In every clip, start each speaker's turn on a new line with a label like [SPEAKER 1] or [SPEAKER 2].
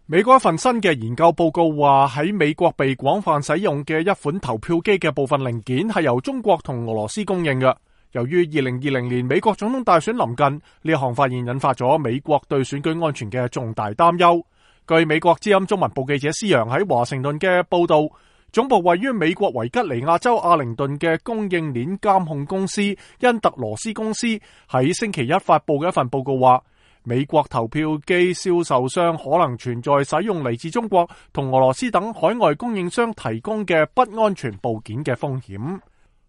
[SPEAKER 1] 美國一份新嘅研究報告話，喺美國被廣泛使用嘅一款投票機嘅部分零件係由中國同俄羅斯供應嘅。由於2020年美國總統大選臨近，呢一項發現引發咗美國對選舉安全嘅重大擔憂。據美國之音中文部記者施洋喺華盛頓嘅報道，總部位於美國維吉尼亞州阿靈頓嘅供應鏈監控公司因特羅斯公司喺星期一發佈嘅一份報告話，美國投票機銷售商可能存在使用嚟自中國同俄羅斯等海外供應商提供嘅不安全部件嘅風險。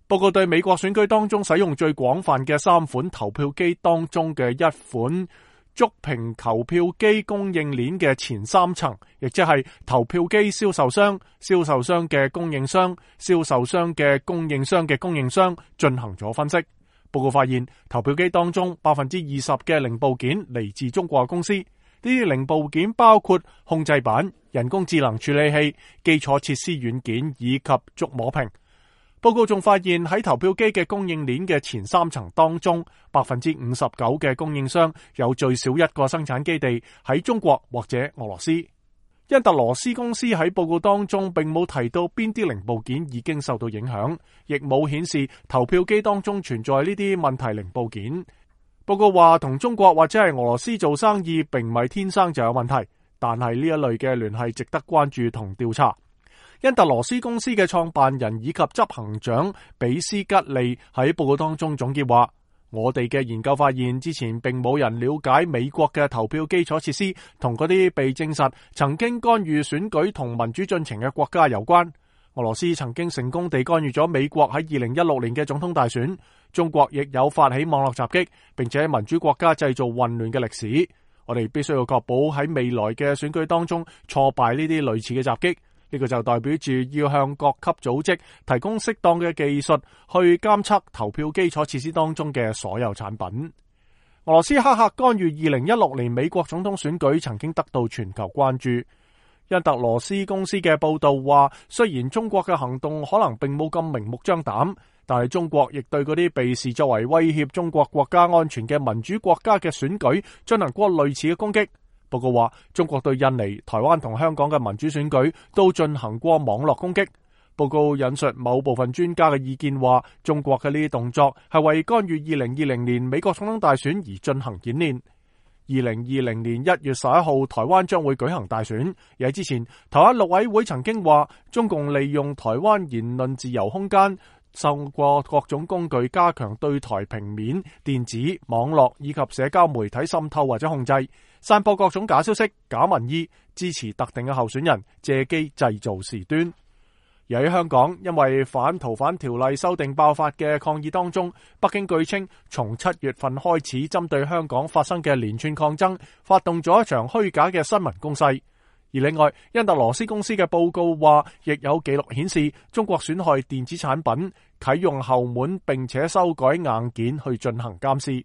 [SPEAKER 1] 報告對美國選舉當中使用最廣泛嘅3款投票機當中嘅一款觸屏投票機供應鏈嘅前3層，亦即係投票機銷售商、銷售商嘅供應商、銷售商嘅供應商嘅供應商進行咗分析。報告發現，投票機當中20%嘅零部件嚟自中國公司。呢啲零部件包括控制板、人工智能處理器、基礎設施軟件以及觸摸屏。報告仲發現喺投票機嘅供應鏈嘅前3層當中，59%嘅供應商有最少一個生產基地喺中國或者俄羅斯。因特羅斯公司喺報告當中並冇提到邊啲零部件已經受到影響，亦冇顯示投票機當中存在呢啲問題零部件。報告話，同中國或者係俄羅斯做生意並唔係天生就有問題，但係呢一類嘅聯繫值得關注同調查。因特羅斯公司嘅創辦人以及執行長比斯吉利喺報告當中總結話，我哋嘅研究發現，之前並冇人了解美國嘅投票基礎設施同嗰啲被證實曾經干預選舉同民主進程嘅國家有關。俄羅斯曾經成功地干預咗美國喺2016年嘅總統大選，中國亦有發起網絡襲擊，並且喺民主國家製造混亂嘅歷史。我哋必須要確保喺未來嘅選舉當中挫敗呢啲類似嘅襲擊。呢個就代表住要向各級組織提供適當嘅技術去監測投票基礎設施當中嘅所有產品。俄羅斯黑客干預2016年美國總統選舉曾經得到全球關注。因特羅斯公司嘅報道話，雖然中國嘅行動可能並冇咁明目張膽，但係中國亦對嗰啲被視作為威脅中國國家安全嘅民主國家嘅選舉進行過類似嘅攻擊。報告話，中國對印尼、台灣同香港嘅民主選舉都進行過網絡攻擊。報告引述某部分專家嘅意見話，中國嘅呢啲動作係為干預2020年美國總統大選而進行演練。2020年1月11號，台灣將會舉行大選。而喺之前，台灣陸委會曾經話，中共利用台灣言論自由空間，透過各種工具加強對台平面、電子、網絡以及社交媒體滲透或者控制，散播各種假消息、假民意，支持特定嘅候選人，借機製造事端。而喺香港，因為反逃犯條例修訂爆發嘅抗議當中，北京據稱從7月份開始針對香港發生嘅連串抗爭，發動咗一場虛假嘅新聞攻勢。而另外，因特羅斯公司嘅報告話，亦有記錄顯示中國損害電子產品，啟用後門並且修改硬件去進行監視。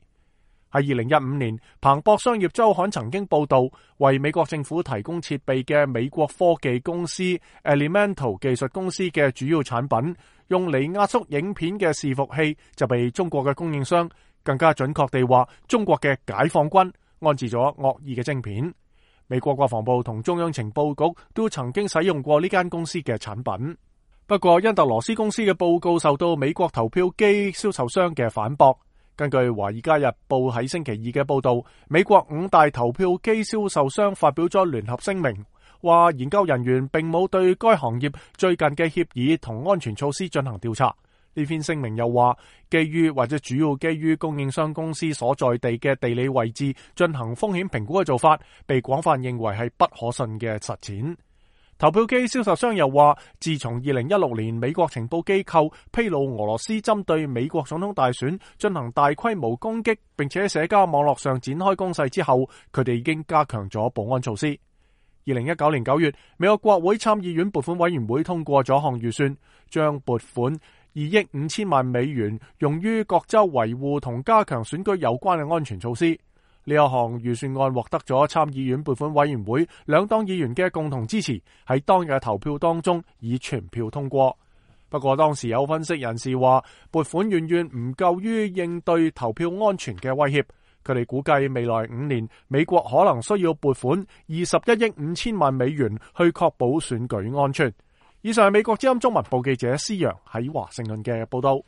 [SPEAKER 1] 喺2015年，彭博商業週刊曾經報道，為美國政府提供設備嘅美國科技公司 Elemental 技術公司嘅主要產品，用嚟壓縮影片嘅伺服器就被中國嘅供應商，更加準確地話，中國嘅解放軍安置咗惡意嘅晶片。美國國防部同中央情報局都曾經使用過呢間公司嘅產品。不過，因特羅斯公司嘅報告受到美國投票機銷售商嘅反駁。根據《華爾街日報》喺星期二嘅報道，美國5大投票機銷售商發表咗聯合聲明，話研究人員並冇對該行業最近嘅協議同安全措施進行調查。呢篇聲明又話，基於或者主要基於供應商公司所在地嘅地理位置進行風險評估嘅做法，被廣泛認為係不可信嘅實踐。投票機銷售商又話，自從2016年美國情報機構披露俄羅斯針對美國總統大選進行大規模攻擊，並且喺社交網絡上展開攻勢之後，佢哋已經加強咗保安措施。2019年9月，美國國會參議院撥款委員會通過咗項預算，將撥款2億5千萬美元用於各州維護同加強選舉有關嘅安全措施。呢一項預算案獲得咗參議院撥款委員會兩黨議員嘅共同支持，喺當日嘅投票當中以全票通過。不過當時有分析人士話，撥款遠遠唔夠於應對投票安全嘅威脅，佢哋估計未來5年，美國可能需要撥款21億5千萬美元去確保選舉安全。以上係美國之音中文部記者施洋喺華盛頓嘅報道。